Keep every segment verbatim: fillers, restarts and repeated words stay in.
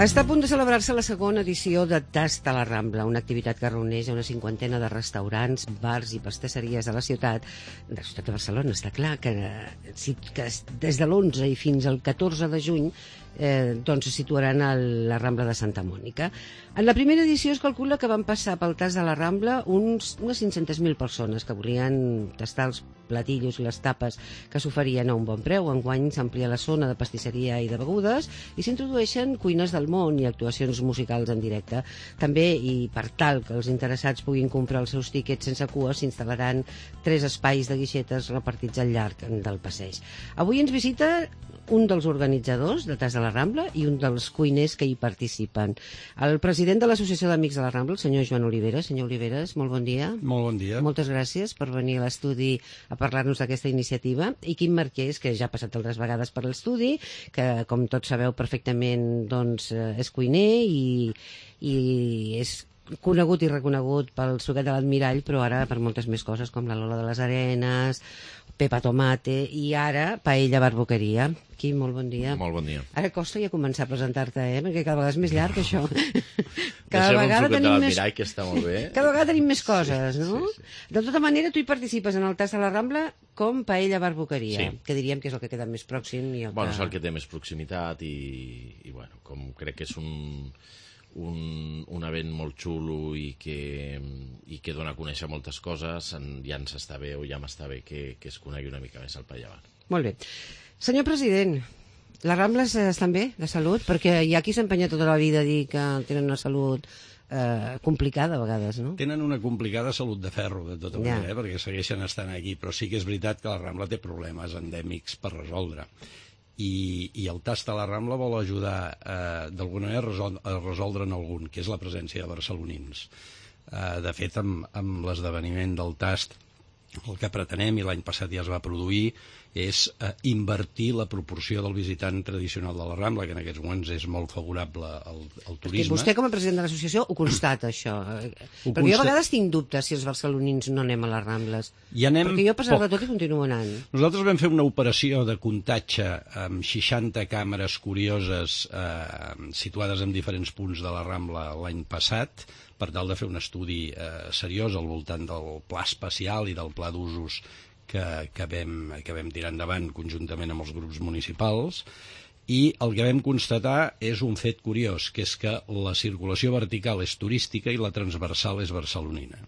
Està a punt de celebrar-se la segona edició de Tast a la Rambla, una activitat que reuneix una cinquantena de restaurants, bars i pastisseries de la ciutat, de la ciutat de Barcelona. Està clar que, que des de l'onze i fins al catorze de juny eh, doncs se situaran a la Rambla de Santa Mònica. En la primera edició es calcula que van passar pel Tast de la Rambla uns, unes cinc-centes mil persones que volien tastar els platillos i les tapes que s'oferien a un bon preu. Enguany s'amplia la zona de pastisseria i de begudes i s'introdueixen cuines del món i actuacions musicals en directe. També, i per tal que els interessats puguin comprar els seus tíquets sense cua, s'instal·laran tres espais de guixetes repartits al llarg del passeig. Avui ens visita un dels organitzadors de Tast de la Rambla i un dels cuiners que hi participen. El president de l'Associació d'Amics de la Rambla, el senyor Joan Oliveres. Senyor Oliveres, molt bon dia. Molt bon dia. Moltes gràcies per venir a l'estudi a parlar-nos d'aquesta iniciativa. I Quim Marquès, que ja ha passat altres vegades per l'estudi, que, com tots sabeu perfectament, doncs, és cuiner i, i és conegut i reconegut pel suquet de l'Almirall, però ara per moltes més coses, com la Lola de les Arenes, Pepa Tomate i ara Paella Barboqueria. Quim, molt bon dia. Molt bon dia. Ara costa ja començar a presentar-te, eh? Perquè cada vegada és més llarg, això. Cada Deixem vegada un suquet tenim de més... l'Almirall, que està molt bé. Cada vegada tenim més coses, no? Sí, sí. De tota manera, tu hi participes en el Tast de la Rambla com Paella Barboqueria, Sí. que diríem que és el que queda més pròxim. I el Bueno, que... és el que té més proximitat i, i bueno, com crec que és un, un, un event molt xulo i que, i que dona a conèixer moltes coses, en, ja ens està bé o ja m'està bé que, que es conegui una mica més el Paella Bar. Molt bé. Senyor president, les Rambles estan bé, de salut? Perquè hi ha qui s'empenya tota la vida a dir que tenen una salut eh, complicada a vegades, no? Tenen una complicada salut de ferro, de tota Ja. manera, eh? Perquè segueixen estant aquí, però sí que és veritat que la Rambla té problemes endèmics per resoldre. I, i el Tast a la Rambla vol ajudar eh, d'alguna manera a, resol a resoldre'n algun, que és la presència de barcelonins. Eh, de fet, amb, amb l'esdeveniment del Tast, el que pretenem, i l'any passat ja es va produir, és eh, invertir la proporció del visitant tradicional de la Rambla, que en aquests moments és molt favorable al, al Perquè turisme. vostè, com a president de l'associació, ho constata, això. Ho Perquè jo a consta- vegades tinc dubtes si els barcelonins no anem a les Rambles. Hi anem Perquè jo, a pesar poc. de tot, hi continuo anant. Nosaltres vam fer una operació de comptatge amb seixanta càmeres curioses eh, situades en diferents punts de la Rambla l'any passat, per tal de fer un estudi eh, seriós al voltant del pla espacial i del pla d'usos que, que, vam, que vam tirar endavant conjuntament amb els grups municipals. I el que vam constatar és un fet curiós, que és que la circulació vertical és turística i la transversal és barcelonina.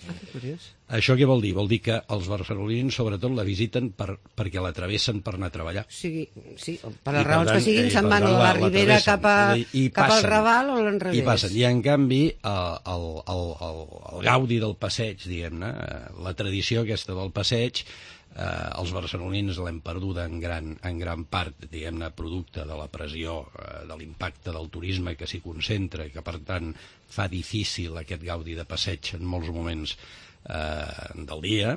Ah, que curiós. Això què vol dir? Vol dir que els barcelonins sobretot la visiten per, perquè la travessen per anar a treballar. O sigui, sí, per I les raons per tant, que siguin, eh, se'n per van a tant, la, la- la Ribera travessen. cap, a, I- i cap al passen. Raval o l'enrevés. I passen. I en canvi, eh, el, el, el, el gaudi del passeig, diguem-ne, eh, la tradició aquesta del passeig, eh, els barcelonins l'hem perduda en gran, en gran part, diguem-ne, producte de la pressió, eh, de l'impacte del turisme que s'hi concentra i que, per tant, fa difícil aquest gaudi de passeig en molts moments eh, del dia,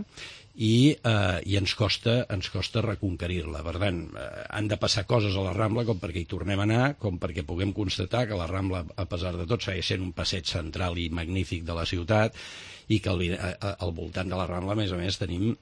i, eh, i ens costa, ens costa reconquerir-la. Per tant, eh, han de passar coses a la Rambla com perquè hi tornem a anar, com perquè puguem constatar que la Rambla, a pesar de tot, segueix sent un passeig central i magnífic de la ciutat, i que al, al voltant de la Rambla, a més a més, tenim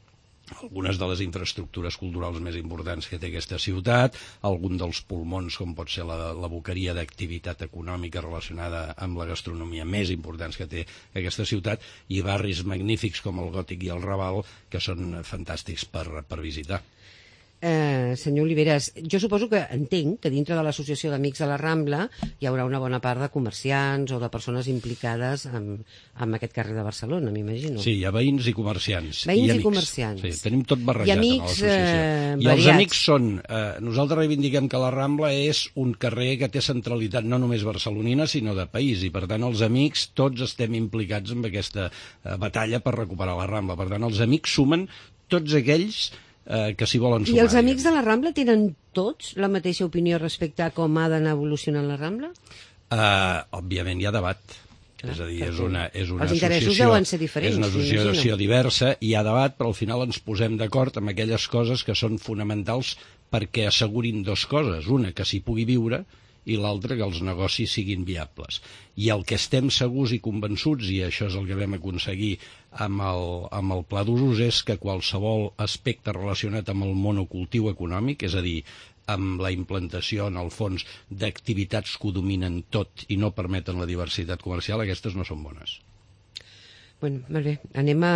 algunes de les infraestructures culturals més importants que té aquesta ciutat, algun dels pulmons, com pot ser la, la boqueria d'activitat econòmica relacionada amb la gastronomia més importants que té aquesta ciutat, i barris magnífics com el Gòtic i el Raval, que són fantàstics per, per visitar. Eh, senyor Oliveres, jo suposo que entenc que dintre de l'Associació d'Amics de la Rambla hi haurà una bona part de comerciants o de persones implicades en, en aquest carrer de Barcelona, m'imagino. Sí, hi ha veïns i comerciants. Veïns i, amics. comerciants. Sí, tenim tot barrejat I amics, a l'associació. eh, I els variats. amics són... Eh, nosaltres reivindiquem que la Rambla és un carrer que té centralitat no només barcelonina, sinó de país, i per tant els amics tots estem implicats en aquesta eh, batalla per recuperar la Rambla. Per tant, els amics sumen tots aquells eh, que s'hi volen sumar. I els amics de la Rambla tenen tots la mateixa opinió respecte a com ha d'anar evolucionant la Rambla? Uh, òbviament hi ha debat. Clar, és a dir, perquè és una, és una els interessos associació, deuen ser diferents, és una associació m'imagino. diversa, hi ha debat, però al final ens posem d'acord amb aquelles coses que són fonamentals perquè assegurin dues coses. Una, que s'hi pugui viure, i l'altre, que els negocis siguin viables. I el que estem segurs i convençuts, i això és el que vam aconseguir amb el, amb el pla d'usos, és que qualsevol aspecte relacionat amb el monocultiu econòmic, és a dir, amb la implantació, en el fons, d'activitats que ho dominen tot i no permeten la diversitat comercial, aquestes no són bones. Bueno, molt bé, anem a,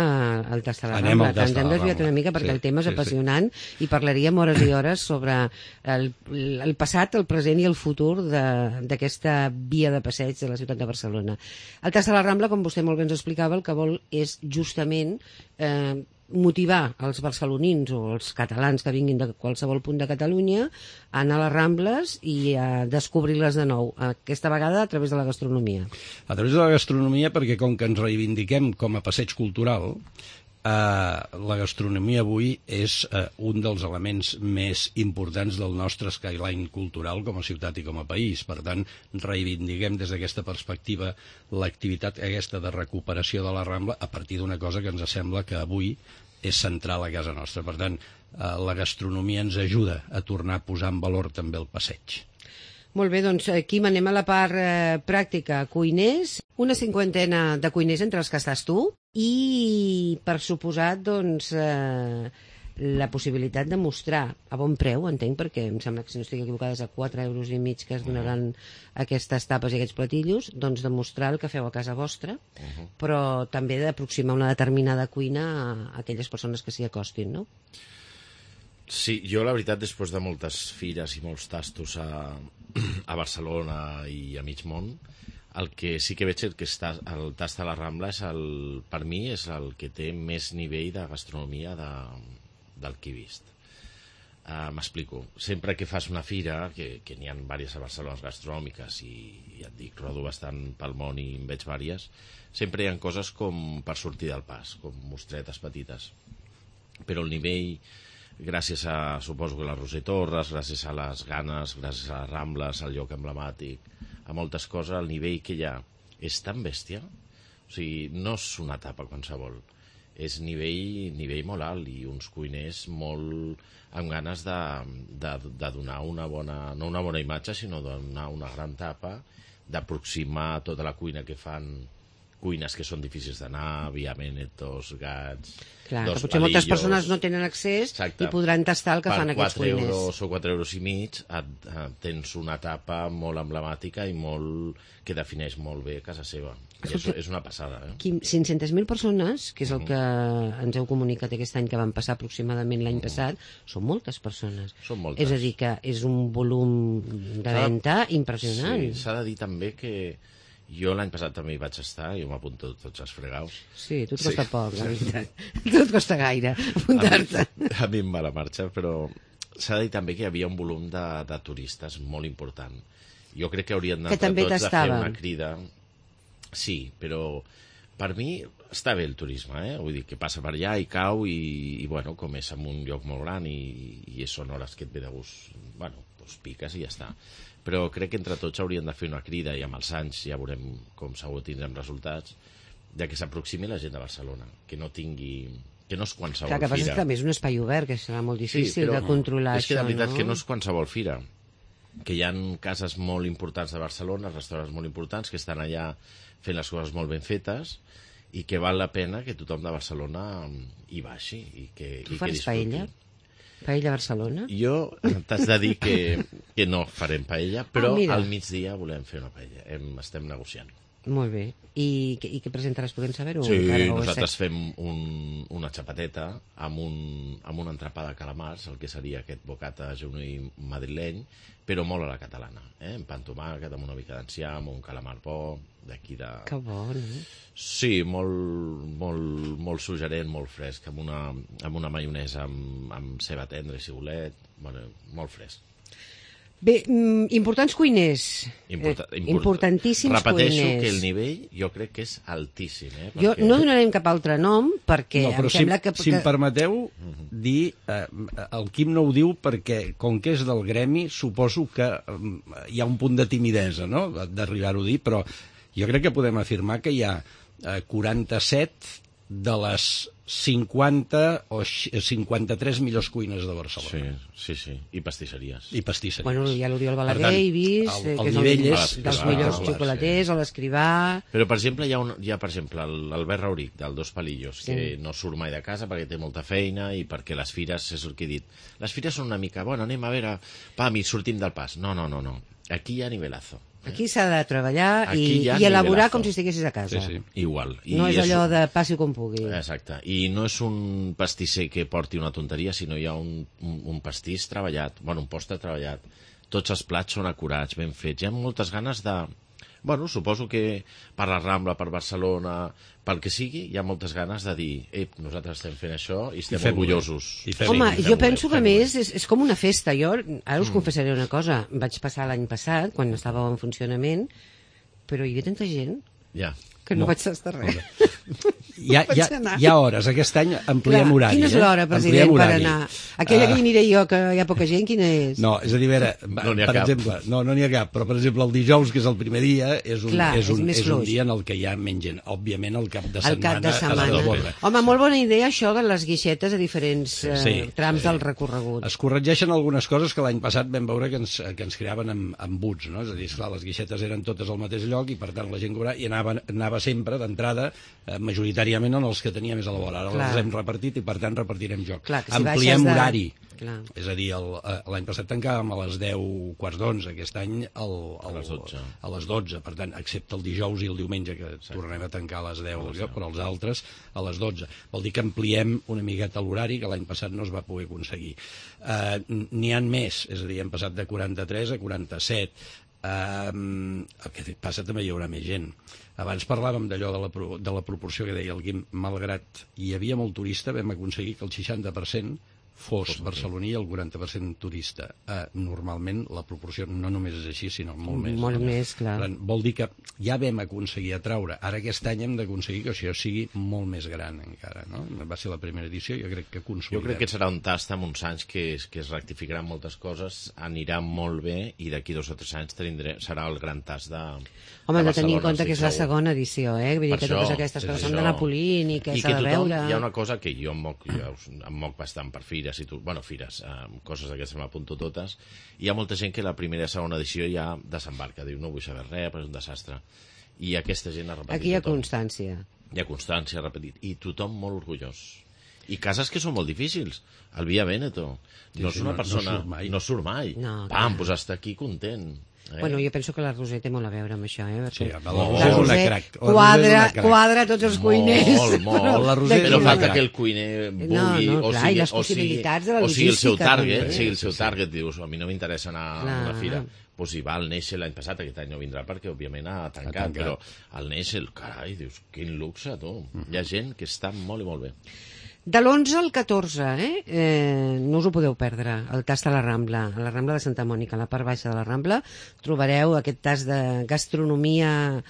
al tast de la Anem Rambla, al que tast ens de hem la desviat Rambla. una mica perquè Sí, el tema és sí, sí. apassionant i parlaríem hores i hores sobre el, el passat, el present i el futur de- d'aquesta via de passeig de la ciutat de Barcelona. El tast de la Rambla, com vostè molt bé ens explicava, el que vol és justament eh, motivar els barcelonins o els catalans que vinguin de qualsevol punt de Catalunya a anar a les Rambles i a descobrir-les de nou, aquesta vegada a través de la gastronomia. A través de la gastronomia, perquè com que ens reivindiquem com a passeig cultural, eh, la gastronomia avui és eh, un dels elements més importants del nostre skyline cultural com a ciutat i com a país. Per tant, reivindiquem des d'aquesta perspectiva l'activitat aquesta de recuperació de la Rambla a partir d'una cosa que ens sembla que avui és central a casa nostra. Per tant, eh, la gastronomia ens ajuda a tornar a posar en valor també el passeig. Molt bé, doncs aquí anem a la part eh, pràctica. Cuiners, una cinquantena de cuiners entre els que estàs tu i, per suposat, doncs, eh, la possibilitat de mostrar a bon preu, entenc, perquè em sembla que si no estic equivocada és a quatre euros i mig que es donaran aquestes tapes i aquests platillos, doncs demostrar el que feu a casa vostra, però també d'aproximar una determinada cuina a aquelles persones que s'hi acostin, no? Sí, jo la veritat, després de moltes fires i molts tastos a, a Barcelona i a mig món, el que sí que veig és que està, el tast a la Rambla és el, per mi és el que té més nivell de gastronomia de, del que he vist. Uh, M'explico. Sempre que fas una fira, que, que n'hi ha diverses a Barcelona gastronòmiques i ja et dic, rodo bastant pel món i en veig diverses, sempre hi ha coses com per sortir del pas, com mostretes petites. Però el nivell, gràcies a, suposo que la Roser Torres, gràcies a les ganes, gràcies a les Rambles, al lloc emblemàtic, a moltes coses, el nivell que hi ha és tan bèstia, o sigui, no és una tapa qualsevol, és nivell, nivell molt alt i uns cuiners molt amb ganes de, de, de donar una bona, no una bona imatge, sinó de donar una gran tapa, d'aproximar tota la cuina que fan, cuines que són difícils d'anar, via Ménetos, Gats... Clar, dos que potser moltes palillos. persones no tenen accés. Exacte. I podran tastar el que Per fan aquests quatre cuiners. euros o quatre euros i mig et, et, tens una tapa molt emblemàtica i molt, que defineix molt bé casa seva. I és, és una passada, eh? cinc-centes mil persones, que és el que ens heu comunicat aquest any, que van passar aproximadament l'any passat, són moltes persones. Són moltes. És a dir, que és un volum de venda impressionant. Sí, s'ha de dir també que jo l'any passat també hi vaig estar, jo m'apunto tots els fregaus. Sí, tu et costa sí. poc, la veritat. Tu et costa gaire apuntar-te. A, mi, a mi em va la marxa, però s'ha de dir també que hi havia un volum de, de turistes molt important. Jo crec que haurien d'entrar tots a fer una crida. Sí, però per mi està bé el turisme, eh? Vull dir que passa per allà i cau i, i bueno, com és en un lloc molt gran i, i són hores que et ve de gust, bueno, doncs piques i ja està. Però crec que entre tots hauríem de fer una crida i amb els anys ja veurem com segur tindrem resultats, ja que s'aproximi la gent de Barcelona, que no tingui... que no és qualsevol Clar, que fira. Clar, que també és un espai obert, que serà molt difícil sí, però de controlar és que de això, veritat no? que no és qualsevol fira, que hi ha cases molt importants de Barcelona, restaurants molt importants, que estan allà fent les coses molt ben fetes i que val la pena que tothom de Barcelona hi baixi i que, tu i que fas disfruti. paella? Paella a Barcelona? Jo t'has de dir que, que no farem paella, però ah, al migdia volem fer una paella. Hem, estem negociant. Molt bé. I, i què presentaràs? Podem saber-ho? Sí, encara, nosaltres fem un, una xapateta amb un, amb un entrepà de calamars, el que seria aquest bocata gironí madrileny, però molt a la catalana, eh? Amb pa amb tomàquet, amb una mica d'enciam, un calamar bo, d'aquí de... Que bo, no? Sí, molt, molt, molt suggerent, molt fresc, amb una, amb una maionesa amb, amb ceba tendra i cibulet, bueno, molt fresc. Bé, mm, importants cuiners. Importa, eh, import, importantíssims repeteixo cuiners. que el nivell jo crec que és altíssim. Eh? Jo Perquè... no donarem cap altre nom perquè no, em si, sembla que... Si em permeteu dir, eh, el Quim no ho diu perquè, com que és del gremi, suposo que eh, hi ha un punt de timidesa, no?, d'arribar-ho a dir, però jo crec que podem afirmar que hi ha eh, quaranta-set de les cinquanta o cinquanta-tres millors cuines de Barcelona. Sí, sí, sí. I pastisseries. I pastisseries. Bueno, hi ha l'Oriol Balaguer, he vist, el, el que és nivell un és, dels és millors clar, xocolaters, sí. O l'Escrivà... Però, per exemple, hi ha, un, hi ha per exemple, l'Albert Rauric, del Dos Palillos, Sí. que no surt mai de casa perquè té molta feina i perquè les fires, és el que he dit, les fires són una mica, bueno, anem a veure, pam, i sortim del pas. No, no, no, no. Aquí hi ha nivelazo. Aquí s'ha de treballar i, Aquí hi ha i elaborar nivelazo. com si estiguessis a casa. Sí, sí. Igual. I No és és allò un- de passi com pugui. Exacte. I no és un pastisser que porti una tonteria, sinó hi ha un, un, un pastís treballat, bueno, un postre treballat. Tots els plats són acurats, ben fets. Hi ha moltes ganes de... Bueno, suposo que per la Rambla, per Barcelona, pel que sigui, hi ha moltes ganes de dir eh, nosaltres estem fent això i estem I fem-ho bé. orgullosos. I fem-ho Home, Sí, jo fem-ho penso bé, que a fem-ho més és, és com una festa. Jo ara us confessaré una cosa. Vaig passar l'any passat, quan estàveu en funcionament, però hi havia tanta gent bé. Ja. que no, No. vaig tastar res. Hi ha, hi, ha, Vaig anar. hi ha hores, aquest any ampliem Clar, horari. quina és eh? l'hora, president, Ampliem per horari. anar? Aquella que Ah, hi aniré jo, que hi ha poca gent, quina és? No, és a dir, a veure, No n'hi ha per cap. exemple, no, no n'hi ha cap, però per exemple el dijous, que és el primer dia, és un, Clar, és un, és més és un fluix. dia en el que hi ha menys gent. Òbviament el cap de El setmana, cap de es setmana. desborda. Home, molt bona idea això de les guixetes a diferents eh, Sí, trams sí. del recorregut. Es corregeixen algunes coses que l'any passat vam veure que ens, que ens creaven amb, amb buts, no? És a dir, esclar, les guixetes eren totes al mateix lloc i per tant la gent cobrava i anava, anava sempre d'entrada eh, majoritàriament en els que tenia més a la vora. Ara Clar. els hem repartit i per tant repartirem joc. Clar, que si Ampliem baixes de- horari. Clar. És a dir, el- eh, l'any passat tancàvem a les deu quarts d'onze, aquest any el, el, A les dotze. A les dotze, per tant, excepte el dijous i el diumenge, que tornarem a tancar a les deu, però els altres a les dotze. Vol dir que ampliem una miqueta l'horari, que l'any passat no es va poder aconseguir. Eh, N'hi han més, és a dir, hem passat de quaranta-tres a quaranta-set. Eh, el que passa també hi haurà més gent. Abans parlàvem d'allò de, la, pro- de la proporció que deia el Guim, malgrat hi havia molt turista, vam aconseguir que el seixanta per cent fos barceloní i el quaranta per cent turista. Eh, normalment la proporció no només és així, sinó molt més. Molt més, clar. Per tant, vol dir que ja vam aconseguir atraure. Ara aquest any hem d'aconseguir que això sigui molt més gran encara. No? Va ser la primera edició, jo crec que consolidem. Jo crec que serà un tast amb uns anys que, es- que es rectificaran moltes coses, anirà molt bé i d'aquí dos o tres anys tindré, serà el gran tast de Home, hem de de tenir en Barcelona, compte que és la estic segur. segona edició, eh? Vull dir Per que això, totes aquestes per coses s'han això. d'anar polint i que I s'ha que de tothom, veure... hi ha una cosa que jo em moc, jo us- em moc bastant per fires i tu, bueno, fires, eh, coses d'aquestes m'apunto totes. Hi ha molta gent que la primera i segona edició ja desembarca, diu no vull saber res, però és un desastre. I aquesta gent ha repetit Aquí hi ha tothom. constància. Hi ha constància, ha repetit. I tothom molt orgullós. I cases que són molt difícils. El Via Veneto. Sí, No sí, és una no- no persona... surt mai. No surt mai. No, Pam, clar. doncs està aquí content. Eh? Bueno, jo penso que la Roser té molt a veure amb això, eh? Sí, Perquè la Roser la és una Roser crac. La Roser és quadra, una crac. quadra tots els cuiners. Molt, molt. La Roser és Però una falta crac. que el cuiner vulgui... No, no, o clar, sigui, i les o sigui- possibilitats de la O sigui, el seu logística, target, també. sigui el seu target, dius, a mi no m'interessa anar Clar. a una fira. Doncs hi va el Neixel l'any passat, aquest any no vindrà perquè, òbviament, ha tancat, Ha tancat. però el Neixel, carai, dius, quin luxe, tu. Hi ha gent que està molt i molt bé. De l'onze al catorze, eh? eh? No us ho podeu perdre, el tast a la Rambla, a la Rambla de Santa Mònica, a la part baixa de la Rambla, trobareu aquest tast de gastronomia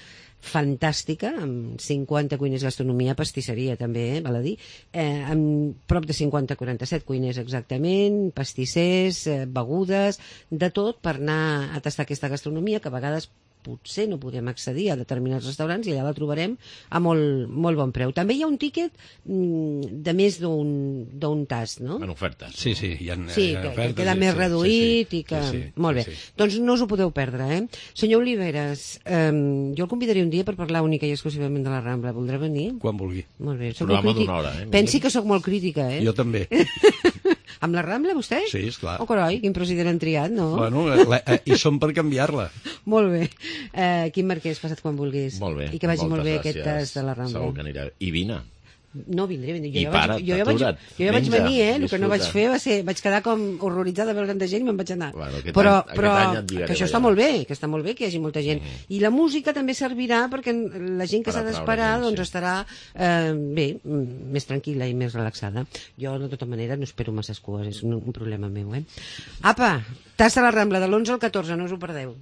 fantàstica, amb cinquanta cuiners, gastronomia, pastisseria també, eh, val a dir, eh, amb prop de cinquanta quaranta-set cuiners exactament, pastissers, eh, begudes, de tot per anar a tastar aquesta gastronomia que a vegades potser no podem accedir a determinats restaurants i allà la trobarem a molt, molt bon preu. També hi ha un tíquet mm, de més d'un d'un tast, no? En ofertes. Sí, sí, hi ha, Sí, hi ha que, ofertes, que queda sí, més sí, reduït sí, sí. i que... Sí, sí, Molt bé. sí, sí. Doncs no us ho podeu perdre, eh? Senyor Oliveres, eh, jo el convidaré un dia per parlar única i exclusivament de la Rambla. Voldrà venir? Quan vulgui. Molt bé. Soc Programa molt crític. d'una hora, eh, Pensi mínim. que sóc molt crítica, eh? Jo també. Amb la Rambla, vostè? Sí, esclar. Oh, carai, quin president han triat, no? Bueno, eh, la, eh, i som per canviar-la. Molt bé. Eh, Quim Marquès, passat quan vulguis. Molt bé. I que vagi moltes molt bé gràcies. aquest tast de la Rambla. Segur que anirà. I vine. No, vindré, vindré. Jo I ja para, vaig, jo ja vaig, t'atura't, jo ja vaig menja, venir, eh? El que no vaig disfruta. fer va ser... Vaig quedar com horroritzada veure tanta gent i me'n vaig anar. Bueno, aquest però any- aquest però any et lligarem que això està allà. molt bé, que està molt bé que hi hagi molta gent. I la música també servirà perquè la gent que Per s'ha atraure d'esperar gent, doncs sí. estarà eh, bé, mm, més tranquil·la i més relaxada. Jo, de tota manera, no espero masses cues, és un, un problema meu, eh? Apa, tasta la Rambla, de l'onze al catorze, no us ho perdeu.